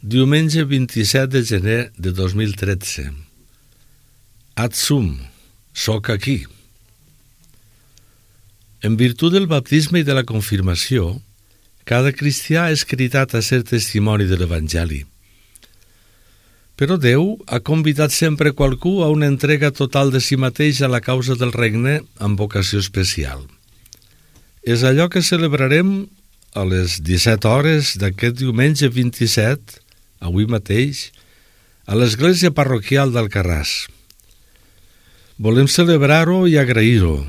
Diumenge 27 de gener de 2013. Ad sum, soc aquí. En virtut del baptisme i de la confirmació, cada cristià és cridat a ser testimoni de l'Evangeli. Però Déu ha convidat sempre qualcú a una entrega total de si mateix a la causa del regne amb vocació especial. És allò que celebrarem a les 17 hores d'aquest diumenge 27, avui mateix, a l'església parroquial d'Alcarràs. Volem celebrar-ho i agrair-ho.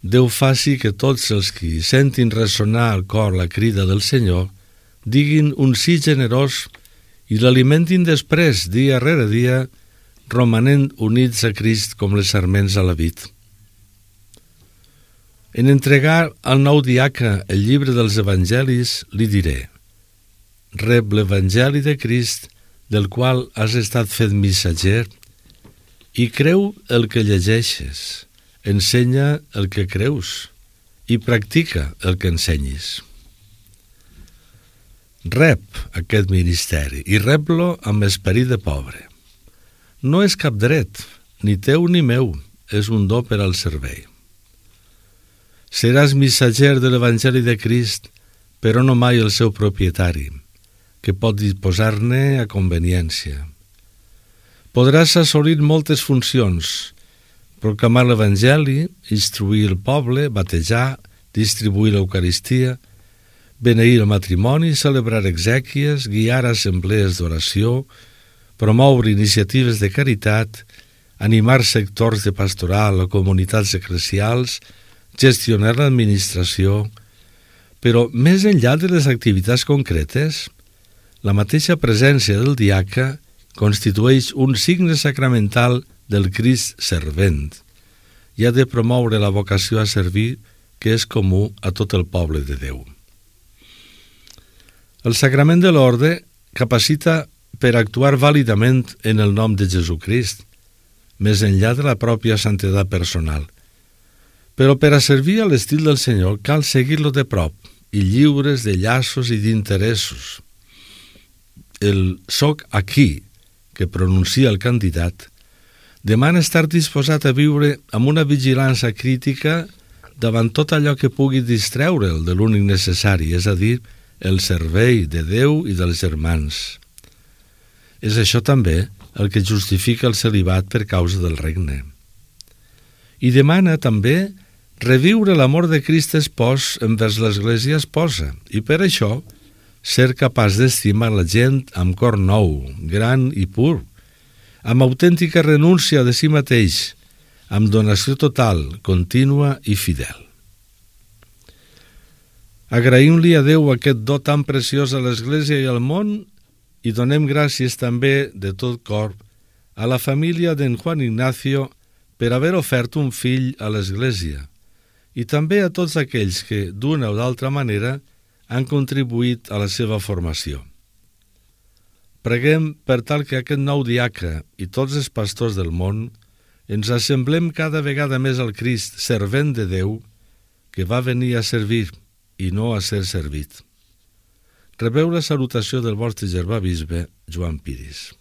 Déu faci que tots els qui sentin ressonar al cor la crida del Senyor diguin un sí generós i l'alimentin després, dia rere dia, romanent units a Crist com les sarments a la vid. En entregar al nou diaca el llibre dels Evangelis, li diré: rep l'Evangeli de Crist, del qual has estat fet missatger, i creu el que llegeixes, ensenya el que creus i practica el que ensenyis. Rep aquest ministeri i rep-lo amb esperit de pobre. No és cap dret, ni teu ni meu, és un do per al servei. Seràs missatger de l'Evangeli de Crist, però no mai el seu propietari, que pot disposar-ne a conveniència. Podràs assolir moltes funcions: proclamar l'Evangeli, instruir el poble, batejar, distribuir l'Eucaristia, beneir el matrimoni, celebrar exèquies, guiar assemblees d'oració, promoure iniciatives de caritat, animar sectors de pastoral o comunitats eclesials, gestionar l'administració. Però més enllà de les activitats concretes, la mateixa presència del diaca constitueix un signe sacramental del Crist servent i ha de promoure la vocació a servir, que és comú a tot el poble de Déu. El sagrament de l'orde capacita per actuar vàlidament en el nom de Jesucrist, més enllà de la pròpia santedat personal. Però per a servir a l'estil del Senyor cal seguir-lo de prop i lliures de llaços i d'interessos. El soc aquí, que pronuncia el candidat, demana estar disposat a viure amb una vigilància crítica davant tot allò que pugui distreure'l de l'únic necessari, és a dir, el servei de Déu i dels germans. És això també el que justifica el celibat per causa del regne. I demana també reviure l'amor de Crist espòs envers l'Església esposa, i per això ser capaç d'estimar la gent amb cor nou, gran i pur, amb autèntica renúncia de si mateix, amb donació total, contínua i fidel. Agraïm-li a Déu aquest do tan preciós a l'Església i al món i donem gràcies també de tot cor a la família d'en Juan Ignacio per haver ofert un fill a l'Església i també a tots aquells que, d'una o d'altra manera, han contribuït a la seva formació. Preguem per tal que aquest nou diaca i tots els pastors del món ens assemblem cada vegada més al Crist, servent de Déu, que va venir a servir i no a ser servit. Rebeu la salutació del vostre germà bisbe, Joan Piris.